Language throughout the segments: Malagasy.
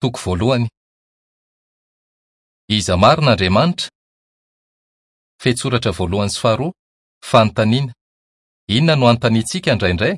Toko voalohany. Iza marina Andriamanitra? Fehintsoratra voalohany sy faharoa, Fanontaniana. Inona no anontaniantsika indraindray?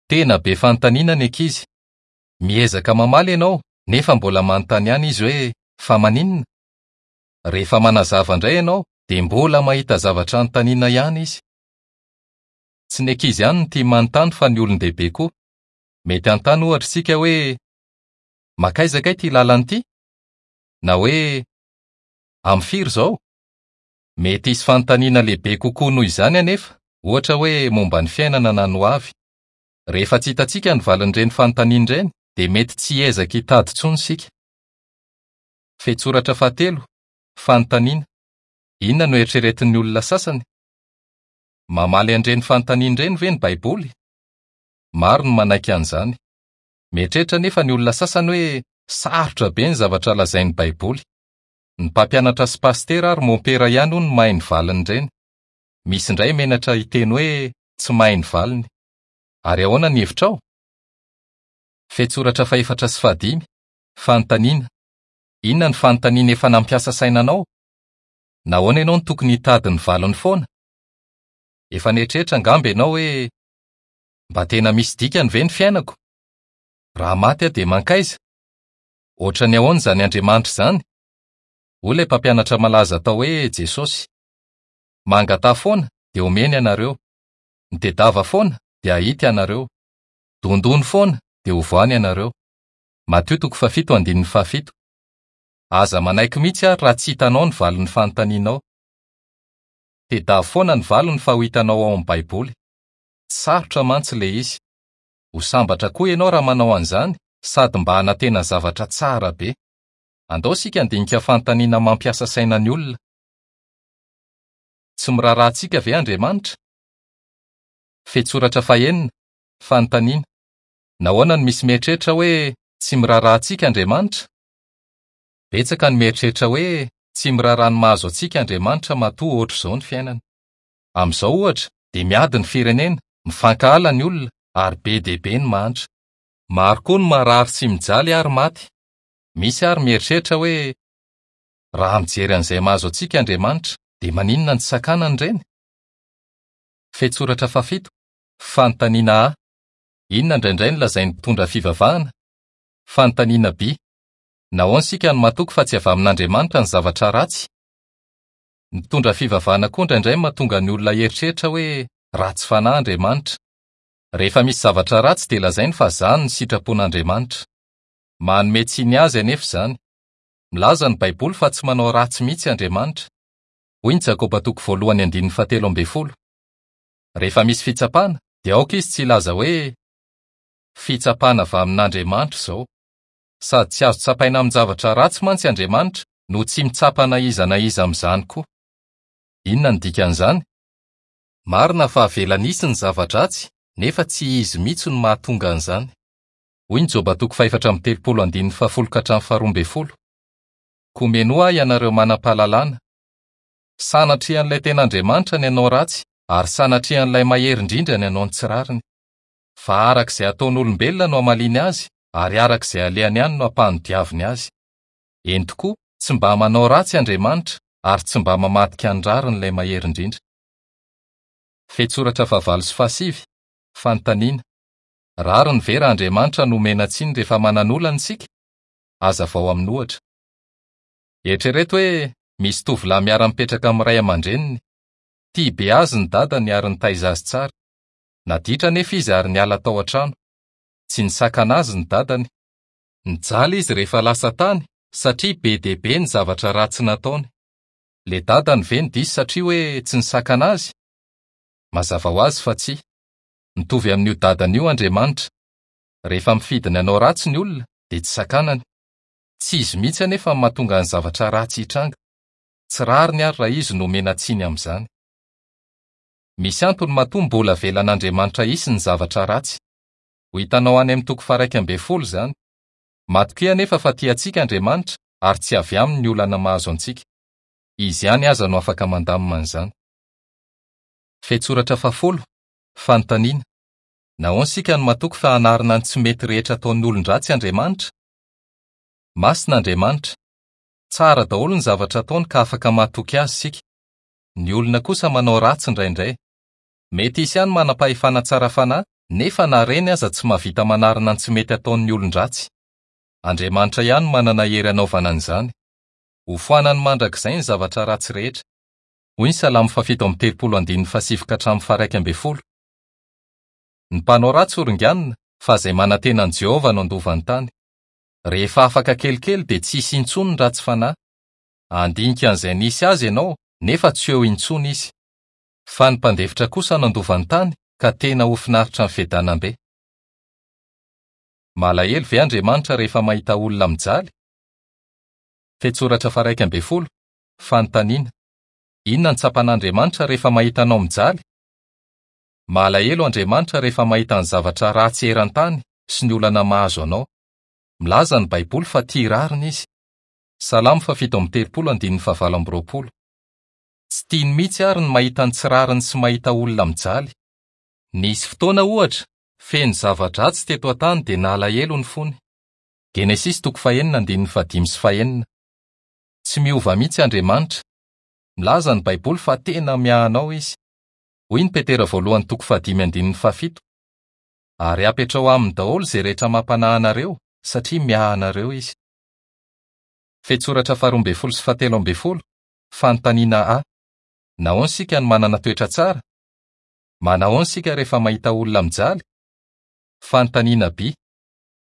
Tena be fanontaniana ny ankizy. Miezaka mamaly ianao, nefa mbola manontany ihany izy hoe, Fa maninona? Rehefa manazava indray ianao, dia mbola mahita zavatra anontaniana ihany izy. Tsy ny ankizy ihany no tia manontany fa ny olon-dehibe koa. Mety hanontany ohatra isika hoe, Mankaiza kay ity lalana ity? Na hoe, Amin'ny firy izao? Mety hisy fanontaniana lehibe kokoa noho izany anefa, ohatra hoe momba ny fiainana na ny hoavy. Rehefa tsy hitantsika ny valin'ireny fanontaniana ireny, dia mety tsy hiezaka hitady intsony isika. Fehintsoratra fahatelo, Fanontaniana, Inona no eritreretin'ny olona sasany? Mamaly an'ireny fanontaniana ireny ve ny Baiboly? Maro no manaiky an'izany. Mieritreritra anefa ny olona sasany hoe sarotra be ny zavatra lazain'ny Baiboly. Ny mpampianatra sy pasitera ary mompera ihany hono no mahay ny valin'ireny. Misy indray menatra hiteny hoe tsy mahay ny valiny. Ary ahoana ny hevitrao? Fehintsoratra fahefatra sy fahadimy, Fanontaniana, Inona no fanontaniana efa nampiasa saina anao? Nahoana ianao no tokony hitady ny valiny foana? Efa nieritreritra angamba ianao hoe, Mba tena misy dikany ve ny fiainako? Raha maty aho dia mankaiza? Hoatran'ny ahoana izany Andriamanitra izany? Hoy ilay mpampianatra malaza atao hoe Jesosy, Mangataha foana, dia homeny ianareo. Mitedava foana, dia hahita ianareo. Dondony foana, dia hovohany ianareo. Matio toko fahafito andininy fahafito. Aza manaiky mihitsy àry raha tsy hitanao ny valin'ny fanontanianao. Tedavo foana ny valiny fa ho hitanao ao amin'ny Baiboly. Tsy sarotra mantsy ilay izy. Ho sambatra koa ianao raha manao an'izany sady mba hanantena zavatra tsara be. Andao isika handinika fanontaniana mampiasa saina ny olona. Tsy miraharaha antsika ve Andriamanitra? Fehintsoratra fahenina, Fanontaniana, Nahoana no misy mieritreritra hoe tsy miraharaha antsika Andriamanitra? Betsaka ny mieritreritra hoe tsy miraharaha ny mahazo antsika Andriamanitra matoa hoatr'izao ny fiainana. Amin'izao, ohatra, dia miady ny firenena, mifankahala ny olona, ary be dia be ny mahantra. Maro koa ny marary sy mijaly ary maty. Misy àry mieritreritra hoe, 'Raha mijery an'izay mahazo antsika Andriamanitra, dia maninona no tsy sakanany ireny? Fehintsoratra fahafito, Fanontaniana A, Inona indraindray no lazain'ny mpitondra fivavahana? Fanontaniana B, Nahoana isika no matoky fa tsy avy amin'Andriamanitra ny zavatra ratsy? Ny mpitondra fivavahana koa indraindray mahatonga ny olona hieritreritra hoe ratsy fanahy Andriamanitra. Rehefa misy zavatra ratsy dia lazainy fa izany no sitrapon'Andriamanitra. Manome tsiny azy anefa izany. Milaza ny Baiboly fa tsy manao ratsy mihitsy Andriamanitra. Hoy ny Jakoba toko voalohany andininy fahatelo ambin'ny folo, Rehefa misy fitsapana, dia aoka izy tsy hilaza hoe, Fitsapana avy amin'Andriamanitra izao. Sady tsy azo tsapaina amin-javatra ratsy mantsy Andriamanitra no tsy mitsapa na iza na iza amin'izany koa. Inona no dikan'izany? Marina fa avelany hisy ny zava-dratsy, nefa tsy izy mihitsy no mahatonga an'izany. Hoy ny Joba toko fahefatra amby telopolo andininy fahafolo ka hatramin'ny faharoa ambin'ny folo, Koa menoa ahy ianareo manam-pahalalana. Sanatrian'ilay tena Andriamanitra ny hanao ratsy, ary sanatrian'ilay Mahery Indrindra ny hanao ny tsy rariny. Fa araka izay ataon'olombelona no hamaliany azy, ary araka izay alehany ihany no hampanodiaviny azy. Eny tokoa, tsy mba manao ratsy Andriamanitra, ary tsy mba mamadika ny rariny ilay Mahery Indrindra. Fehintsoratra fahavalo sy fahasivy, Fanontaniana, Rariny ve raha Andriamanitra no omena tsiny rehefa manan'olana isika? Hazavao amin'ohatra. Eritrereto hoe misy tovolahy miara-mipetraka amin'ny ray aman-dreniny. Tia be azy ny dadany ary nitaiza azy tsara. Naditra anefa izy ary niala tao an-trano. Tsy nisakana azy ny dadany. Nijaly izy rehefa lasa tany satria be dia be ny zavatra ratsy nataony. Le dadany ve no diso satria hoe tsy nisakana azy? Mazava ho azy fa tsia. Mitovy amin'io dadany io Andriamanitra. Rehefa mifidy ny hanao ratsy ny olona dia tsy sakanany. Tsy izy mihitsy anefa no mahatonga ny zavatra ratsy hitranga. Tsy rariny ary raha izy no omena tsiny amin'izany. Misy antony matoa mbola avelan'Andriamanitra hisy ny zavatra ratsy. Ho hitanao any amin'ny toko faha-11 izany. Matokia anefa fa tia antsika Andriamanitra ary tsy avy aminy ny olana mahazo antsika. Izy ihany aza no afaka mandamina an'izany. Fehintsoratra fahafolo, Fanontaniana, Nahoana isika no matoky fa hanarina ny tsy mety rehetra ataon'ny olon-dratsy Andriamanitra? Masina Andriamanitra. Tsara daholo ny zavatra ataony ka afaka matoky azy isika. Ny olona kosa manao ratsy indraindray. Mety hisy ihany manam-pahefana tsara fanahy, nefa na ireny aza tsy mahavita manarina ny tsy mety ataon'ny olon-dratsy. Andriamanitra ihany no manana hery hanaovana an'izany. Hofoanany mandrakizay ny zavatra ratsy rehetra. Hoy ny Salamo fahafito amby telopolo andininy fahasivy ka hatramin'ny faha-11. Ny mpanao ratsy horinganina, fa izay manantena an'i Jehovah no handova ny tany. Rehefa afaka kelikely dia tsy hisy intsony ny ratsy fanahy. Handinika an'izay nisy azy ianao, nefa tsy eo intsony izy. Fa ny mpandefitra kosa nandova ny tany, ka tena ho finaritra ny fiadanam-be. Malahelo ve Andriamanitra rehefa mahita olona mijaly? Fehintsoratra faha-11, Fanontaniana, Inona no tsapan'Andriamanitra rehefa mahita anao mijaly? Malahelo Andriamanitra rehefa mahita ny zavatra ratsy eran-tany sy ny olana mahazo anao. Milaza ny Baiboly fa tia rariny izy. Salamo faha-37 andininy faha-28. Tsy tiany mihitsy àry ny mahita ny tsy rariny sy mahita olona mijaly. Nisy fotoana, ohatra, feno zava-dratsy teto an-tany dia nalahelo ny fony. Genesisy toko fahenina andininy fahadimy sy fahenina. Tsy miova mihitsy Andriamanitra. Milaza ny Baiboly fa tena miahy anao izy. Hoy ny Petera voalohany toko fahadimy andininy fahafito, Ary apetraho aminy daholo izay rehetra mampanahy anareo, satria miahy anareo izy. Fehintsoratra faharoa ambin'ny folo sy fahatelo ambin'ny folo, Fanontaniana A, Nahoana isika no manana toetra tsara? Manahoana isika rehefa mahita olona mijaly? Fanontaniana B,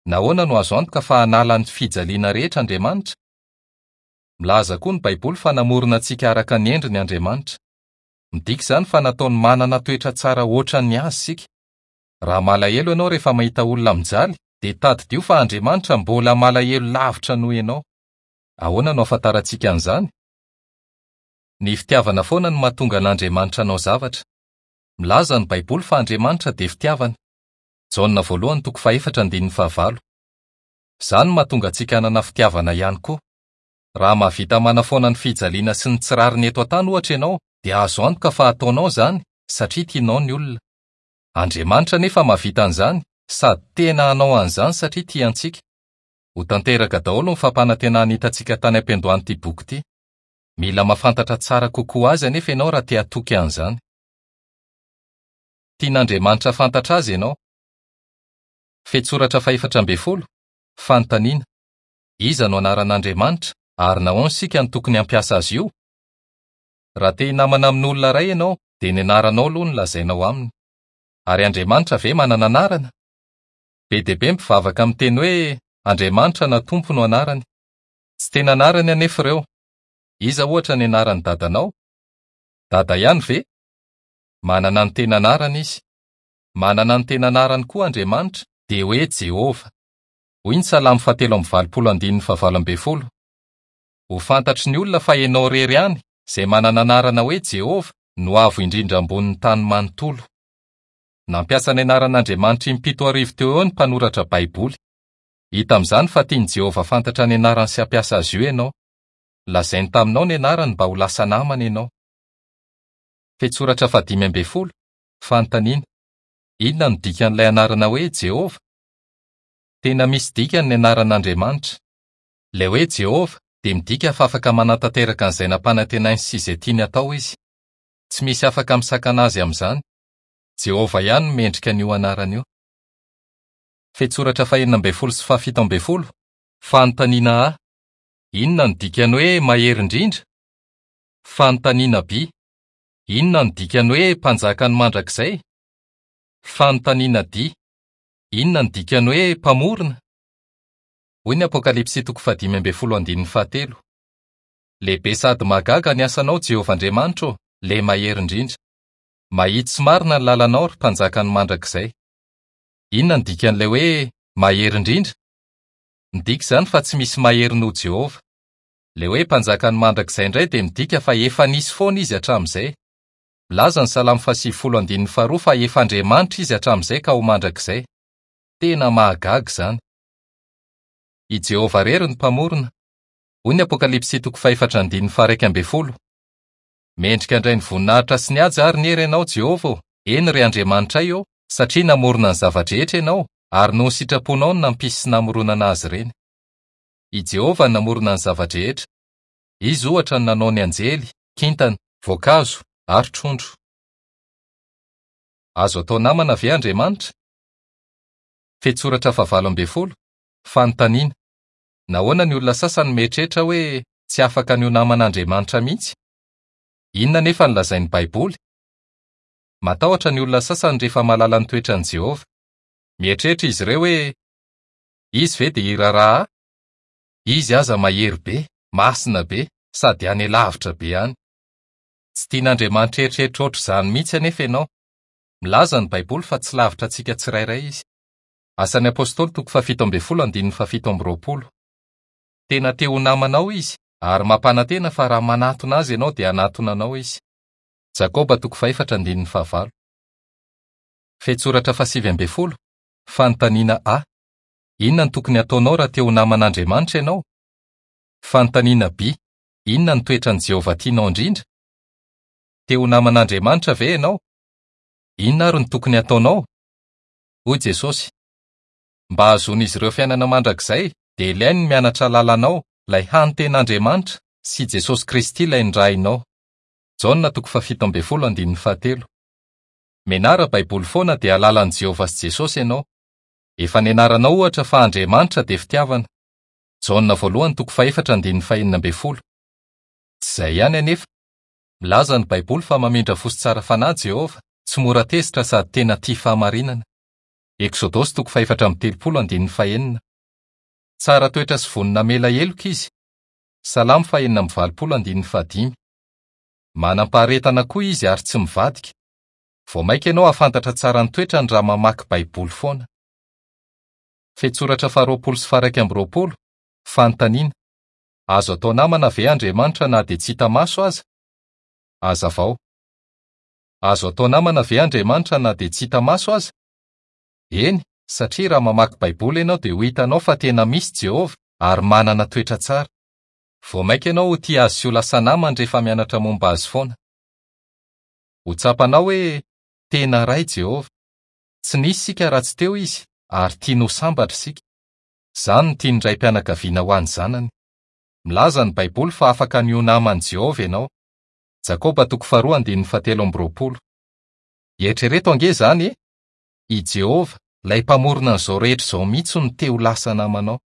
Nahoana no azo antoka fa hanala ny fijaliana rehetra Andriamanitra? Milaza koa ny Baiboly fa namorona antsika araka ny endriny Andriamanitra. Midika izany fa nataony manana toetra tsara hoatran'ny azy isika. Raha malahelo ianao rehefa mahita olona mijaly, dia tadidio fa Andriamanitra mbola malahelo lavitra noho ianao. Ahoana no ahafantarantsika an'izany? Ny fitiavana foana no mahatonga an'Andriamanitra hanao zavatra. Milaza ny Baiboly fa Andriamanitra dia fitiavana. Jaona voalohany toko fahefatra andininy fahavalo. Izany no mahatonga antsika hanana fitiavana ihany koa. Raha mahavita manafoana ny fijaliana sy ny tsy rariny eto an-tany ohatra ianao, dia azo antoka fa hataonao izany satria tianao ny olona. Andriamanitra anefa mahavita an'izany sady tena hanao an'izany satria tia antsika. Ho tanteraka daholo ny fampanantenana hitantsika tany am-piandohan'ity boky ity. Mila mahafantatra tsara kokoa azy anefa ianao raha te hatoky an'izany. Tian'Andriamanitra hahafantatra azy ianao. Fehintsoratra fahefatra ambin'ny folo, Fanontaniana, Iza no anaran'Andriamanitra ary nahoana isika no tokony hampiasa azy io? Raha te hinamana amin'olona iray ianao dia ny anaranao aloha no lazainao aminy. Ary Andriamanitra ve manana anarana? Be dia be ny mpivavaka miteny hoe Andriamanitra na Tompo no anarany. Tsy tena anarany anefa ireo. Iza ohatra ny anaran'ny dadanao? Dada ihany ve? Manana ny tena anarany izy. Manana ny tena anarany koa Andriamanitra, dia hoe Jehovah. Hoy ny Salamo fahatelo amby valopolo andininy fahavalo ambin'ny folo, Ho fantatry ny olona fa ianao irery ihany, izay manana anarana hoe Jehovah, no Avo Indrindra ambonin'ny tany manontolo. Nampiasa ny anaran'Andriamanitra impito arivo teo ho eo ny mpanoratra Baiboly. Hita amin'izany fa tian'i Jehovah fantatra ny anarany sy hampiasa azy io ianao. Lazainy taminao ny anarany mba ho lasa namany ianao. Fehintsoratra fahadimy ambin'ny folo, Fanontaniana, Inona no dikan'ilay anarana hoe Jehovah? Tena misy dikany ny anaran'Andriamanitra. Ilay hoe Jehovah dia midika fa afaka manatanteraka an'izay nampanantenainy sy izay tiany hatao izy. Tsy misy afaka misakana azy amin'izany. Jehovah ihany no mendrika an'io anarana io. Fehintsoratra fahenina ambin'ny folo sy fahafito ambin'ny folo, Fanontaniana A, Inona no dikan'ny hoe Mahery Indrindra? Fanontaniana B, Inona no dikan'ny hoe Mpanjakan'ny mandrakizay? Fanontaniana D, Inona no dikan'ny hoe Mpamorona? Hoy ny Apokalypsy toko fahadimy ambin'ny folo andininy fahatelo, Lehibe sady mahagaga ny asanao, Jehovah Andriamanitra ô, Ilay Mahery Indrindra. Mahitsy sy marina ny lalanao, ry Mpanjakan'ny mandrakizay. Inona no dikan'ilay hoe Mahery Indrindra? Midika izany fa tsy misy mahery noho Jehovah. Ilay hoe Mpanjakan'ny mandrakizay indray dia midika fa efa nisy foana izy hatramin'izay. Milaza ny Salamo fahasivifolo andininy faharoa fa efa Andriamanitra izy hatramin'izay ka ho mandrakizay. Tena mahagaga izany! I Jehovah irery no Mpamorona. Hoy ny Apokalypsy toko fahefatra andininy faha-iraika ambin'ny folo, Mendrika handray ny voninahitra sy ny haja ary ny hery ianao, Jehovah ô, eny, ry Andriamanitray ô, satria namorona ny zava-drehetra ianao, ary noho ny sitraponao no nampisy sy namoronana azy ireny. I Jehovah no namorona ny zava-drehetra. Izy, ohatra, no nanao ny anjely, kintana, voankazo, ary trondro. Azo atao namana ve Andriamanitra? Fehintsoratra fahavalo ambin'ny folo, Fanontaniana, Nahoana ny olona sasany mieritreritra hoe tsy afaka ny ho naman'Andriamanitra mihitsy? Inona anefa no lazain'ny Baiboly? Matahotra ny olona sasany rehefa mahalala ny toetran'i Jehovah. Mieritreritra izy ireo hoe, 'Izy ve dia hiraharaha ahy? Izy aza mahery be, masina be, sady any lavitra be any. Tsy tian'Andriamanitra hieritreritra hoatr'izany mihitsy anefa ianao. Milaza ny Baiboly fa tsy lavitra antsika tsirairay izy. Asan'ny Apostoly toko fahafito ambin'ny folo andininy fahafito amby roapolo. Tena te ho namanao izy ary mampanantena fa raha manatona azy ianao dia hanatona anao izy. Jakoba toko fahefatra andininy fahavalo. Fehintsoratra fahasivy ambin'ny folo, Fanontaniana A. Inona no tokony hataonao raha te ho naman'Andriamanitra ianao? Fanontaniana B. Inona no toetran'i Jehovah tianao indrindra? Te ho naman'Andriamanitra ve ianao? Inona àry no tokony hataonao? Hoy Jesosy, Mba hahazoan'izy ireo fiainana mandrakizay, dia ilainy ny mianatra lalànao, ilay hany tena Andriamanitra, sy Jesosy Kristy ilay nirahinao. Jaona toko fahafito ambin'ny folo andininy fahatelo. Mianara Baiboly foana dia hahalala an'i Jehovah sy Jesosy ianao. Efa nianaranao, ohatra, fa Andriamanitra dia fitiavana. Jaona voalohany toko fahefatra andininy fahenina ambin'ny folo. Tsy izay ihany anefa. Milaza ny Baiboly fa mamindra fo sy tsara fanahy Jehovah, tsy mora tezitra sady tena tia fahamarinana. Eksodosy toko fahefatra amby telopolo andininy fahenina. Tsara toetra sy vonona hamela heloka izy. Salamo fahenina amby valopolo andininy fahadimy. Manam-paharetana koa izy ary tsy mivadika. Vao mainka ianao hahafantatra tsara ny toetrany raha mamaky Baiboly foana. Fehintsoratra faharoapolo sy faharaika amby roapolo, Fanontaniana, Azo atao namana ve Andriamanitra na dia tsy hita maso aza? Hazavao. Azo atao namana ve Andriamanitra na dia tsy hita maso aza? Eny, satria raha mamaky Baiboly ianao dia ho hitanao fa tena misy Jehovah ary manana toetra tsara. Vao mainka ianao ho tia azy sy ho lasa namany rehefa mianatra momba azy foana. Ho tsapanao hoe tena Ray Jehovah. Tsy nisy isika raha tsy teo izy ary tiany ho sambatra isika. Izany no tian'ny raim-pianakaviana ho an'ny zanany. Milaza ny Baiboly fa afaka ny ho naman'i Jehovah ianao. Jakoba toko faharoa andininy fahatelo amby roapolo. Eritrereto ange izany e! I Jehovah, ilay Mpamorona an'izao rehetra izao mihitsy no te ho lasa namanao.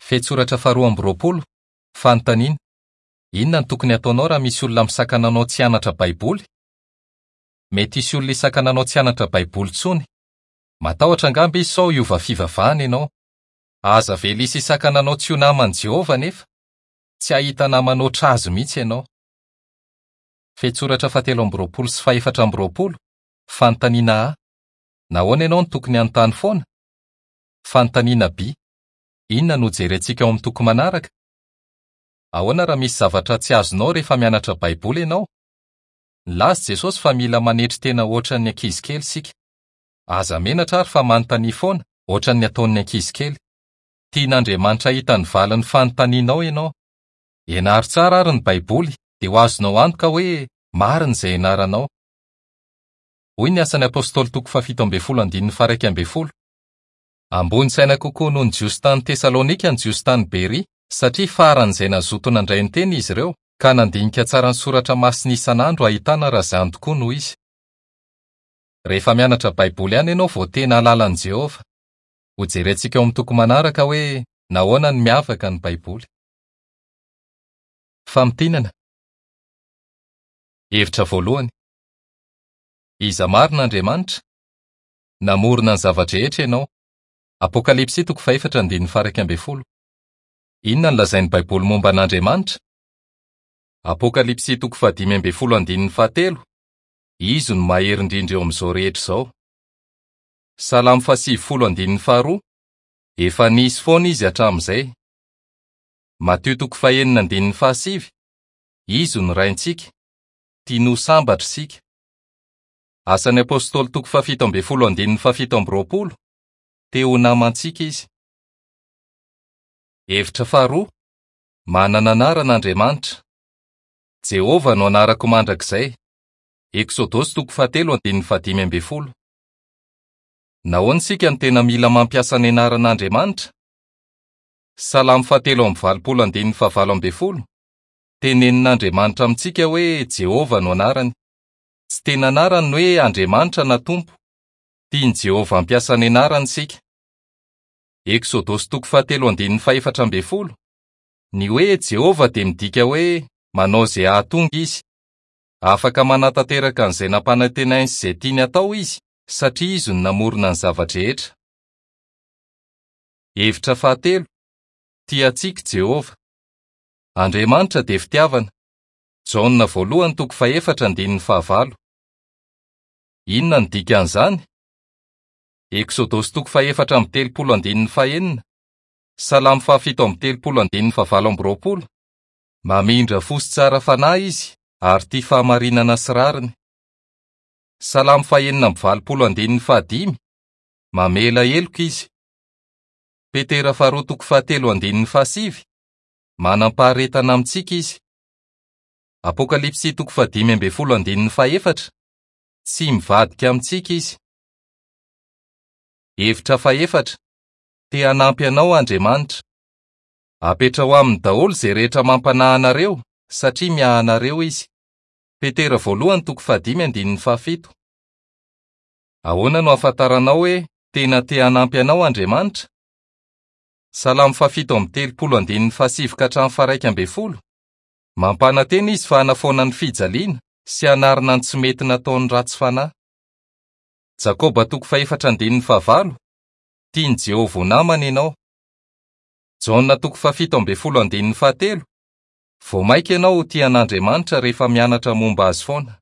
Fehintsoratra faharoa amby roapolo, Fanontaniana, Inona no tokony hataonao raha misy olona misakana anao tsy hianatra Baiboly? Mety hisy olona hisakana anao tsy hianatra Baiboly intsony. Matahotra angamba izy sao hiova fivavahana ianao. Aza avela hisy hisakana anao tsy ho naman'i Jehovah anefa. Tsy hahita namana hoatr'azy mihitsy ianao. Fehintsoratra fahatelo amby roapolo sy fahefatra amby roapolo, Fanontaniana A, Nahoana ianao no tokony hanontany foana? Fanontaniana B, Inona no hojerentsika ao amin'ny toko manaraka? Ahoana raha misy zavatra tsy azonao rehefa mianatra Baiboly ianao? Nilaza Jesosy fa mila manetry tena hoatran'ny ankizy kely isika. Aza menatra àry fa manontania foana, hoatran'ny ataon'ny ankizy kely. Tian'Andriamanitra hahita ny valin'ny fanontanianao ianao. Ianaro tsara àry ny Baiboly, dia ho azonao antoka hoe marina izay ianaranao. Hoy ny Asan'ny Apostoly toko fahafito ambin'ny folo andininy faha-iraika ambin'ny folo, Ambony saina kokoa noho ny Jiosy tany Tesalonika ny Jiosy tany Beria, satria faran'izay nazoto nandray ny teny izy ireo, ka nandinika tsara ny Soratra Masina isan'andro hahitana raha izany tokoa no izy. Rehefa mianatra Baiboly ihany ianao vao tena hahalala an'i Jehovah. Hojerentsika ao amin'ny toko manaraka hoe nahoana no miavaka ny Baiboly. Famintinana. Hevitra voalohany. Iza marina Andriamanitra? Namorona ny zava-drehetra ianao. Apokalypsy toko fahefatra andininy faha-iraika ambin'ny folo. Inona no lazain'ny Baiboly momba an'Andriamanitra? Apokalypsy toko fahadimy ambin'ny folo andininy fahatelo, Izy no mahery indrindra eo amin'izao rehetra izao. Salamo fahasivifolo andininy faharoa, Efa nisy foana izy hatramin'izay. Matio toko fahenina andininy fahasivy, Izy no Raintsika, tiany ho sambatra isika. Asan'ny Apostoly toko fahafito ambin'ny folo andininy fahafito amby roapolo, Te ho namantsika izy. Hevitra faharoa, Manana anarana Andriamanitra. Jehovah no anarako mandrakizay. Eksodosy toko fahatelo andininy fahadimy ambin'ny folo. Nahoana isika no tena mila mampiasa ny anaran'Andriamanitra? Salamo fahatelo amby valopolo andininy fahavalo ambin'ny folo. Tenenin'Andriamanitra amintsika hoe Jehovah no anarany. Tsy tena anarany ny hoe Andriamanitra na Tompo. Tian'i Jehovah hampiasa ny anarany isika. Eksodosy toko fahatelo andininy faha-14. Ny hoe Jehovah dia midika hoe manao izay hahatonga izy. Afaka manatanteraka an'izay nampanantenainy sy izay tiany hatao izy, satria izy no namorona ny zava-drehetra. Hevitra fahatelo, Tia antsika i Jehovah. Andriamanitra dia fitiavana. Jaona voalohany toko fahefatra andininy fahavalo. Inona no dikan'izany? Eksodosy toko faha-34 andininy fahenina, Salamo faha-37 andininy fahavalo amby roapolo. Mamindra fo sy tsara fanahy izy ary tia fahamarinana sy rariny. Salamo faha-86 andininy fahadimy. Mamela heloka izy. Petera faharoa toko fahatelo andininy fahasivy. Manam-paharetana amintsika izy. Apokalypsy toko faha-15 andininy fahefatra. Tsy mivadika amintsika izy. Hevitra fahefatra. Te hanampy anao Andriamanitra. Apetraho aminy daholo izay rehetra mampanahy anareo, satria miahy anareo izy. Petera voalohany toko fahadimy andininy fahafito. Ahoana no ahafantaranao hoe tena te hanampy anao Andriamanitra? Salamo faha-37 andininy fahasivy ka hatramin'ny faha-11. Mampanantena izy fa hanafoana ny fijaliana sy hanarina ny tsy mety nataon'ny ratsy fanahy. Jakoba toko fahefatra andininy fahavalo. Tian'i Jehovah ho namana ianao. Jaona toko faha-17 andininy fahatelo. Vao mainka ianao ho tia an'Andriamanitra rehefa mianatra momba azy foana.